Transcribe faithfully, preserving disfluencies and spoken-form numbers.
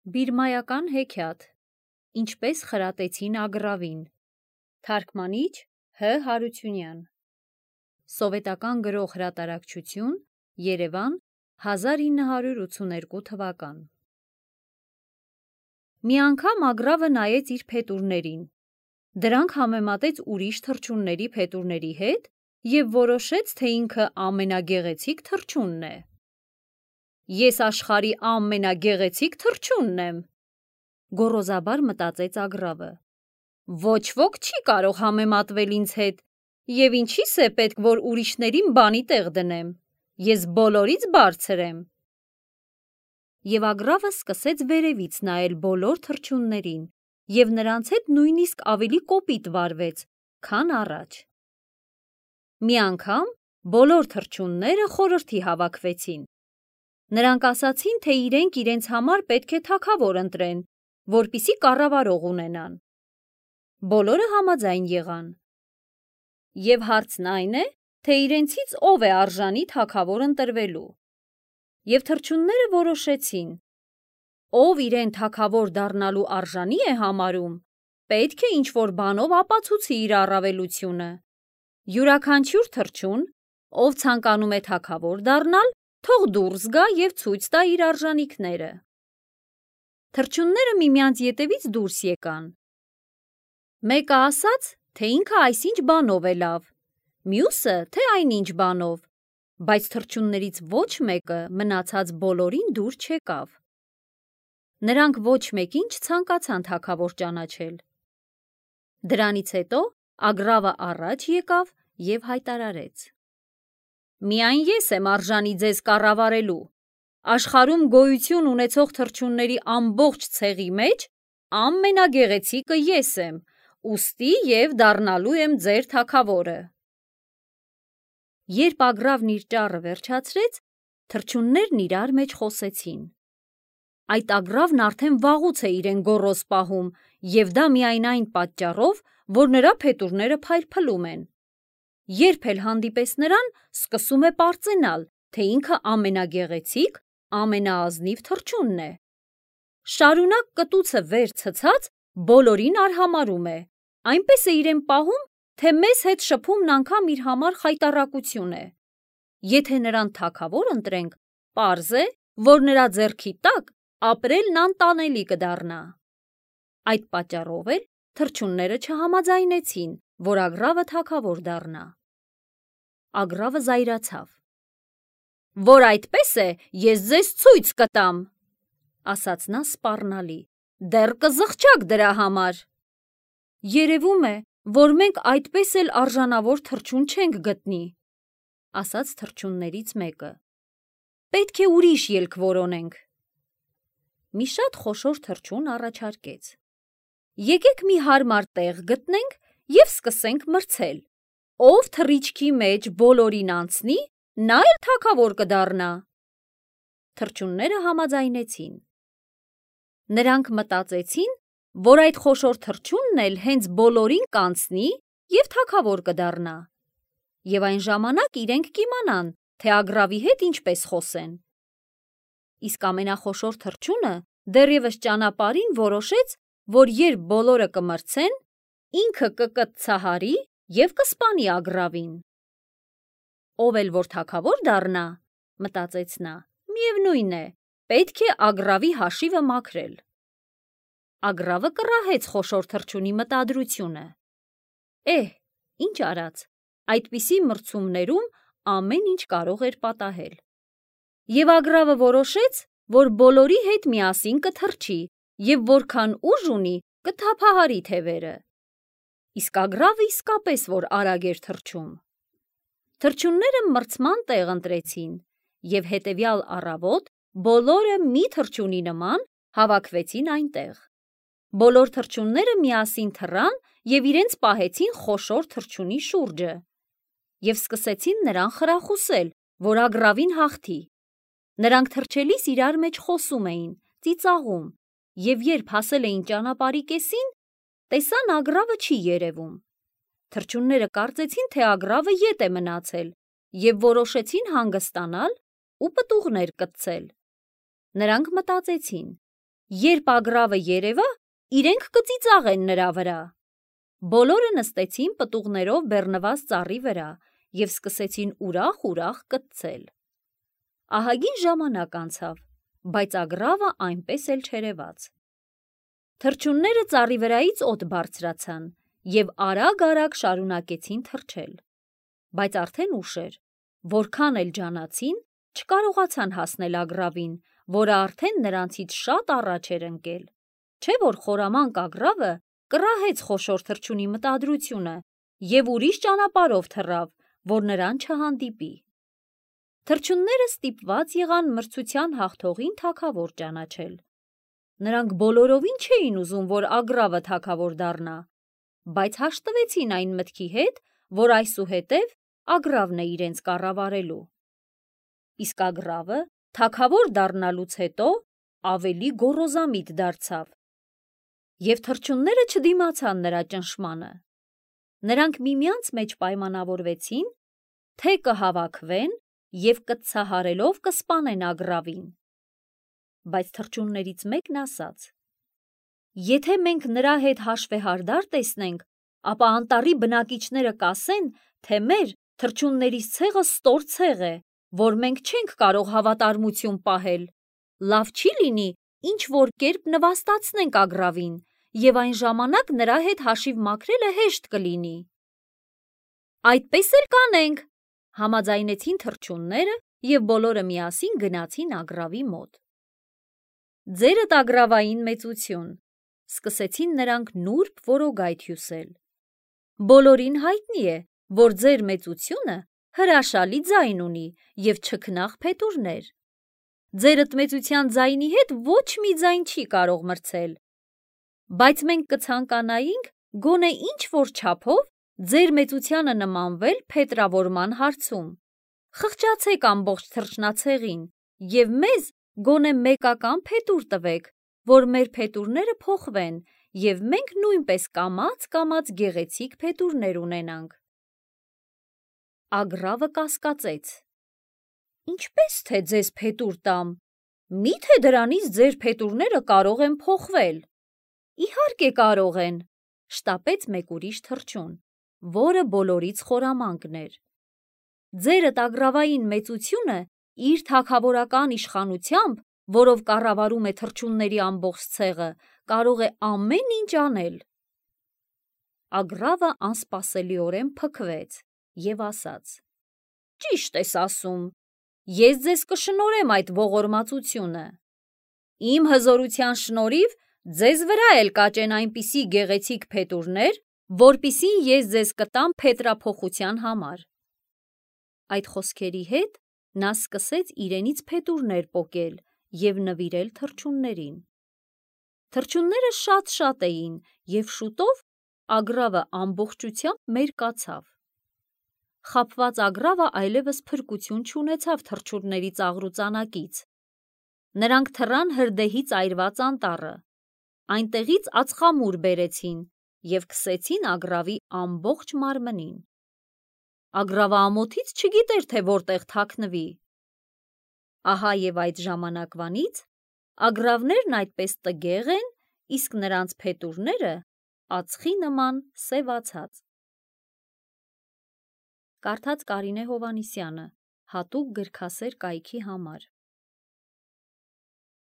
Բիրմայական հեքիաթ. Ինչպես խրատեցին ագռավին. Թարգմանիչ Հ. Հարությունյան. Սովետական գրող հրատարակչություն, Երևան, հազար ինը հարյուր ութսուներկու թվական. Մի անգամ ագռավը նայեց իր փետուրներին, դրանք համեմատեց ուրիշ թռչունների փետուրների հետ և որոշեց, թե ինքը ամենագեղեցիկ թռչունն է։ Ես աշխարհի ամենագեղեցիկ թռչունն եմ, գոռոզաբար մտածեց ագռավը։ Ոչ ոք չի կարող համեմատվել ինձ հետ, և ինչի՞ս է պետք, որ ուրիշներին բանի տեղ դնեմ, ես բոլորից բարձր եմ։ Եվ ագռավը սկսեց վերևից նայել բոլոր թռչուններին և նրանց հետ նույնիսկ ավելի կոպիտ վարվեց, քան առաջ։ Մի անգամ բոլոր թռչունները խորհրդի հավաքվեցին։ Նրանք ասացին, թե իրենք իրենց համար պետք է թագավոր ընտրեն, որպեսզի կառավարող ունենան։ Բոլորը համաձայն եղան։ Եվ հարցն այն է, թե իրենցից ով է արժանի թագավոր ընտրվելու։ Եվ թռչունները որոշեցին. ով իրեն թագավոր դառնալու արժանի է համարում, պետք է ինչ-որ բանով ապացուցի իր առավելությունը։ Յուրաքանչյուր թռչուն, ով ցանկանում է թագավոր դառնալ, թող դուրս գա և ցույց տա իր արժանիքները։ Թռչունները միմյանց ետևից դուրս եկան։ Մեկը ասաց, թե ինքը այսինչ բանով է լավ, մյուսը, թե այնինչ բանով, բայց թռչուններից ոչ մեկը մնացած բոլորին դուր չեկավ։ Նրանք ոչ մեկին չցանկացան թագավոր ճանաչել։ Դրանից հետո ագռավը առաջ եկավ և հայտարարեց. Միայն ես եմ արժանի ձեզ կառավարելու։ Աշխարհում գոյություն ունեցող թռչունների ամբողջ ցեղի մեջ ամենագեղեցիկը ես եմ, ուստի և դառնալու եմ ձեր թագավորը։ Երբ ագռավն իր ճառը վերջացրեց, թռչուններն իրար մեջ խոսեցին. Այդ ագռավն արդեն վաղուց է իրեն գոռոզ պահում, և դա միայն այն պատճառով, որ նրա փետուրները փայլփլում են։ Երբ էլ հանդիպես նրան, սկսում է պարծենալ, թե ինքը ամենագեղեցիկ, ամենաազնիվ թռչունն է։ Շարունակ կտուցը վեր ցցած բոլորին արհամարհում է, այնպես է իրեն պահում, թե մեզ հետ շփումն անգամ իր համար խայտառակություն է։ Եթե նրան թագավոր ընտրենք, պարզ է, որ նրա ձեռքի տակ ապրելն անտանելի կդառնա։ Այդ պատճառով էլ թռչունները չհամաձայնեցին, որ ագռավը թագավոր դառնա։ Ագռավը զայրացավ. Որ այդպես է, ես ձեզ ցույց կտամ, ասաց նա սպառնալի, դեռ կզղջաք դրա համար։ Երևում է, որ մենք այդպես էլ արժանավոր թռչուն չենք գտնի, ասաց թռչուններից մեկը։ Պետք է ուրիշ ելք որոնենք։ Մի շատ խոշոր թռչուն առաջարկեց. Եկեք մի հարմար տեղ գտնենք և սկսենք մրցել։ Ով թռիչքի մեջ բոլորին անցնի, նա էլ թագավոր կդառնա։ Թռչունները համաձայնեցին։ Նրանք մտածեցին, որ այդ խոշոր թռչունն էլ հենց բոլորին կանցնի և թագավոր կդառնա։ Եվ այն ժամանակ իրենք կիմանան, թե ագռավի հետ ինչպես խոսեն։ Իսկ ամենախոշոր թռչունը դեռևս ճանապարհին որոշեց, որ երբ բոլորը կմրցեն, ինքը կկծցահարի և կսպանի ագռավին։ Ով էլ որ թագավոր դառնա, մտածեց նա, միևնույն է, պետք է ագռավի հաշիվը մաքրել։ Ագռավը կռահեց խոշոր թռչունի մտադրությունը։ Էհ, ինչ արած, այդպիսի մրցումներում ամեն ինչ կարող էր պատահել։ Եվ ագռավը որոշեց, որ բոլորի հետ միասին կթռչի և որքան ուժ ունի, կթափահարի թևերը։ Իսկ ագռավը իսկապես որ արագ էր թռչում։ Թռչունները մրցման տեղ ընտրեցին, և հետևյալ առավոտ բոլորը մի թռչունի նման հավաքվեցին այնտեղ։ Բոլոր թռչունները միասին թռան և իրենց պահեցին խոշոր թռչունի շուրջը և սկսեցին նրան խրախուսել, որ ագռավին հաղթի։ Նրանք թռչելիս իրար մեջ խոսում էին, ծիծաղում, և երբ հասել էին ճանապարհի կեսին, տեսան ագռավը չի երևում։ Թռչունները կարծեցին, թե ագռավը ետ է մնացել և որոշեցին հանգստանալ ու պտուղներ կտցել։ Նրանք մտածեցին. Երբ ագռավը երևա, իրենք կծիծաղեն նրա վրա։ Բոլորը նստեցին պտուղներով բեռնված ծառի վրա և սկսեցին ուրախ-ուրախ կտցել։ Ահագին ժամանակ անցավ, բայց ագռավը այնպես էլ չերևաց։ Թռչունները ծառի վրայից օդ բարձրացան և արագ-արագ շարունակեցին թռչել, բայց արդեն ուշ էր, որքան էլ ջանացին, չկարողացան հասնել ագռավին, որը արդեն նրանցից շատ առաջ էր ընկել, չէ որ խորամանկ ագռավը կռահեց խոշոր թռչունի մտադրությունը և ուրիշ ճանապարհով թռավ, որ նրան չհանդիպի։ Թռչունները ստիպված եղան մրցության հաղթողին թագավոր ճանաչել։ Նրանք բոլորովին չէին ուզում, որ ագռավը թագավոր դառնա, բայց հաշտվեցին այն մտքի հետ, որ այսուհետև ագռավն է իրենց կառավարելու։ Իսկ ագռավը թագավոր դառնալուց հետո ավելի գոռոզամիտ դարձավ, և թռչունները չդիմացան նրա ճնշմանը։ Նրանք միմյանց մեջ պայմանավորվեցին, թե կհավաքվեն և կտցահարելով կսպանեն ագռավին։ Բայց թռչուններից մեկն ասաց. «Եթե մենք նրա հետ հաշվեհարդար տեսնենք, ապա անտառի բնակիչները կասեն, թե մեր թռչուններից ցեղը ստոր ցեղ է, որ մենք չենք կարող հավատարմություն պահել։ Լավ չի լինի ինչ-որ կերպ նվաստացնենք ագռավին, և այն ժամանակ նրա հետ հաշիվ մաքրելը հեշտ կլինի»։ «Այդպես էլ կանենք», համաձայնեցին թռչունները և բոլորը միասին գնացին ագռավի մոտ։ «Ձերդ ագռավային մեծություն», սկսեցին նրանք նուրբ որոգայթ հյուսել։ «Բոլորին հայտնի է, որ ձեր մեծությունը հրաշալի ձայն ունի և չքնաղ փետուրներ։ Ձերդ մեծության ձայնի հետ ոչ մի ձայն չի կարող մրցել, բայց մենք կցանկանայինք գոնե ինչ-որ չափով ձեր մեծությանը նմանվել փետրավորման հարցում։ Խղճացեք ամբողջ թռչնացեղին և մեզ գոնե մեկական փետուր տվեք, որ մեր փետուրները փոխվեն, և մենք նույնպես կամաց-կամաց գեղեցիկ փետուրներ ունենանք»։ Ագռավը կասկածեց. «Ինչպե՞ս թե ձեզ փետուր տամ, մի՞թե դրանից ձեր փետուրները կարող են փոխվել»։ «Իհարկե կարող են», շտապեց մեկ ուրիշ թռչուն, որը բոլորից խորամանկն էր։ «Ձերդ ագռավային մեծությունը իր թագավորական իշխանությամբ, որով կառավարում է թռչունների ամբողջ ցեղը, կարող է ամեն ինչ անել»։ Ագռավը անսպասելիորեն փքվեց և ասաց. «Ճիշտ ես ասում, ես ձեզ կշնորհեմ այդ ողորմածությունը։ Իմ հզորության շնորհիվ ձեզ վրա էլ կաճեն այնպիսի գեղեցիկ փետուրներ, որպեսզի ես ձեզ կտամ փետրափոխության համար»։ Այդ խոսքերի հետ նա սկսեց իրենից փետուրներ պոկել և նվիրել թռչուններին։ Թռչունները շատ-շատ էին, և շուտով ագռավը ամբողջությամբ մերկացավ։ Խաբված ագռավը այլևս փրկություն չունեցավ թռչունների ծաղրուծանակից։ Նրանք թռան հրդեհից այրված անտառը, այնտեղից ածխամուր բերեցին և քսեցին ագռավի ամբողջ մարմնին։ Ագռավը ամոթից չգիտեր, թե որտեղ թաքնվի։ Ահա և այդ ժամանակվանից ագռավներն այդպես տգեղ են, իսկ նրանց փետուրները ածխի նման սևացած։ Կարդաց Կարինե Հովհաննիսյանը, հատուկ գրքասեր կայքի համար։